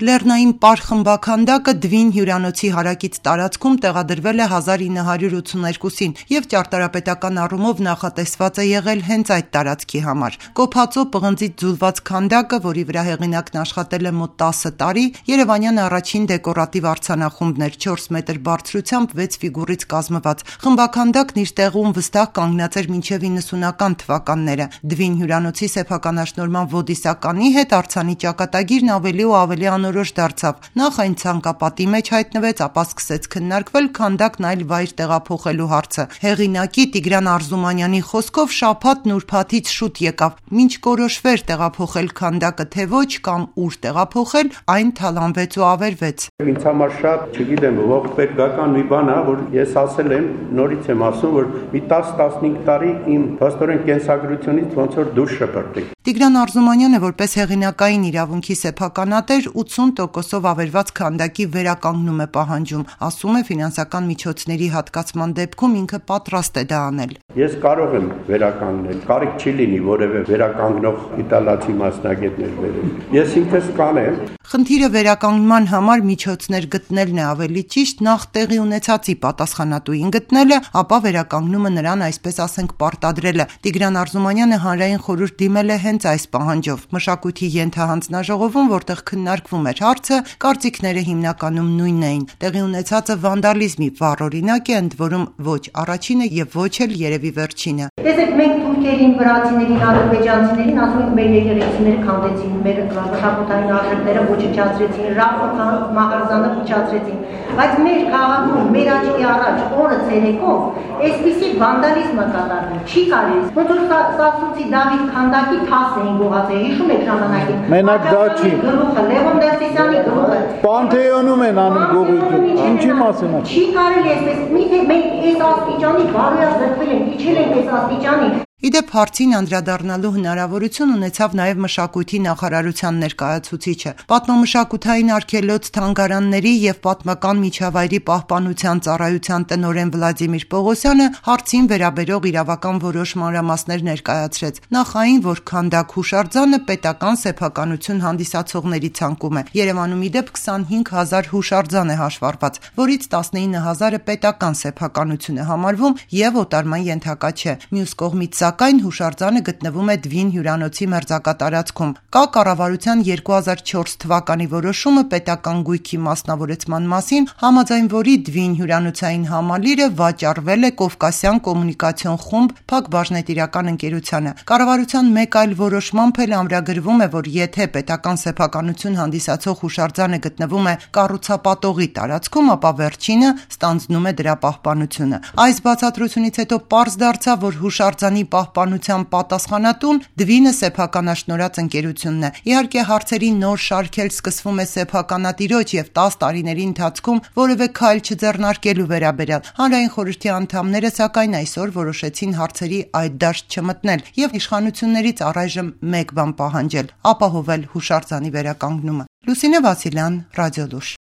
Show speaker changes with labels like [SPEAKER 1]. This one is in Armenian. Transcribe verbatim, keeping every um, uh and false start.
[SPEAKER 1] Լեռնային պար խմբաքանդակը Դվին հյուրանոցի հարակից տարածքում տեղադրվել է հազար ինը հարյուր ութսուներկուսին և ճարտարապետական առումով նախատեսված է եղել հենց այդ տարածքի համար։ Կոփածո պղնձից ձուլված քանդակը, որի վրա հեղինակն աշխատել է մոտ տասը տարի, երևանյան առաջին դեկորատիվ արձանախումբն էր, չորս մետր բարձրությամբ, վեց ֆիգուրից կազմված։ Խմբաքանդակն իր տեղում վստահ կանգնած էր մինչև իննսունական թվականները։ Դվին հյուրանոցի սեփականաշնորհման ոդիսականի հետ արձանի ճակատագիրն ավելի ու ավելի անորոշ դարձավ։ Նախ այն ցանկապատի մեջ հայտնվեց, ապա սկսեց քննարկվել քանդակն այլ վայր տեղափոխելու հարցը։ Հեղինակի Տիգրան Արզումանյանի խոսքով շաբաթն ուրբաթից շուտ եկավ, մինչ կորոշվեր տեղափոխել քանդակը թե ոչ կամ ուր տեղափոխել, այն թալանվեց ու ավերվեց։
[SPEAKER 2] Ինձ համար շատ, չգիտեմ, ողբերգական մի բան է, որ ես ասել եմ, նորից եմ ասում, որ մի տաս տասնհինգ տարի իմ փաստորեն կենսագրությունից ոնց որ դուրս շպրտի։
[SPEAKER 1] Տիգրան Արզումանյանը որպես հեղինակային իրավունքի սեփականատեր ութսուն տոկոսով ավերված քանդակի վերականգնում է պահանջում, ասում է ֆինանսական միջոցների հատկացման դեպքում ինքը պատրաստ է դա անել։
[SPEAKER 2] Ես կարող եմ վերականգնել, կարիք չի լինի որևէ վերականգնող իտալացի մասնագետներ բերել։ Ես ինքս կանեմ։
[SPEAKER 1] Խնդիրը վերականգնման համար միջոցներ գտնելն է ավելի ճիշտ, նախ տեղի ունեցածի պատասխանատուին գտնելը, ապա վերականգնումը նրան այսպես ասենք պարտադրելը։ Տիգրան Արզումանյանը հանրային խորհուրդ դիմել է հենց այս պահանջով։ Մշակույթի ենթահանձնաժողովում, որտեղ քննարկվում էր հարցը, կարծիքները հիմնականում նույնն էին։ Տեղի ունեցածը վանդալիզմի վառ օրինակ է, ընդ որում ոչ առաջինը եւ ոչ էլ երևի վերջինը։
[SPEAKER 3] Տեսեք, մենք թուրքերին, վրացիներին, ադրբեջանցիներին ասում ենք մեր եկեղեցիները քանդեցին, մեր մշակութային արժեքները ոչնչացրեցին, Ռաֆոկան մահարձանը փչացրեցին, բայց մեր քաղաքում, մեր աչքի առաջ օրը ցերեկով այսպիսի վանդալիզմը կատարվում չի կարելի։ Ոնց որ Սասունցի Դավիթ քանդակի թաս էին գողացել, հիշում եք ժամանակին։
[SPEAKER 4] Մենակ դա չի։
[SPEAKER 3] Գլուխը Լևոն Տեր-Սիսյանի գլուխը։
[SPEAKER 4] Պանթեոնում են անում գողություն։ Ինչի մասին է։
[SPEAKER 3] Չի կարելի այսպես։ Միթե մենք այս աստիճանի բարոյազրկվել ենք, իջել ենք այս աստիճանի։
[SPEAKER 1] Իդեպ հարցին անդրադառնալու հնարավորություն ունեցավ նաև մշակույթի նախարարության ներկայացուցիչը։ Պատմամշակութային արգելոց թանգարանների եւ պատմական միջավայրի պահպանության ծառայության տնօրեն Վլադիմիր Պողոսյանը հարցին վերաբերող իրավական որոշ մանրամասներ ներկայացրեց։ Նախ այն, որ քանդակ հուշարձանը պետական սեփականություն հանդիսացողների ցանկում է։ Երևանում իդեպ քսանհինգ հազար հուշարձան է հաշվառված, որից տասնինը հազարը պետական սեփականություն է համարվում եւ օտարման ենթակա չէ։ Մյուս կողմից Սակայն հուշարձանը գտնվում է Դվին հյուրանոցի մերձակա տարածքում։ Կա կառավարության երկու հազար չորս թվականի որոշումը պետական գույքի մասնավորեցման մասին, համաձայն որի Դվին հյուրանոցային համալիրը վաճառվել է Կովկասյան կոմունիկացիոն խումբ Փակ բաժնետիրական ընկերությանը։ Կառավարության մեկ այլ որոշմամբ էլ ամրագրվում է, որ եթե պետական սեփականություն հանդիսացող հուշարձանը գտնվում է կառուցապատողի տարածքում, ապա վերջինը ստանձնում է դրա պահպանությունը։ Այս բացատրությունից հետո պարզ դարձավ, որ հուշարձանի պահպանության պատասխանատուն Դվինը սեփականաշնորհած ընկերությունն է։ Իհարկե հարցերի նոր շարք էլ սկսվում է սեփականատիրոջ եւ տաս տարիների ընթացքում որևէ քայլ չձեռնարկելու վերաբերյալ։ Հանրային խորհրդի անդամները սակայն այսօր որոշեցին հարցերի այդ դաշտ չմտնել եւ իշխանություններից առայժմ մեկ բան պահանջել՝ ապահովել հուշարձանի վերականգնումը։ Լուսինե Վասիլյան, Ռադիոլուր։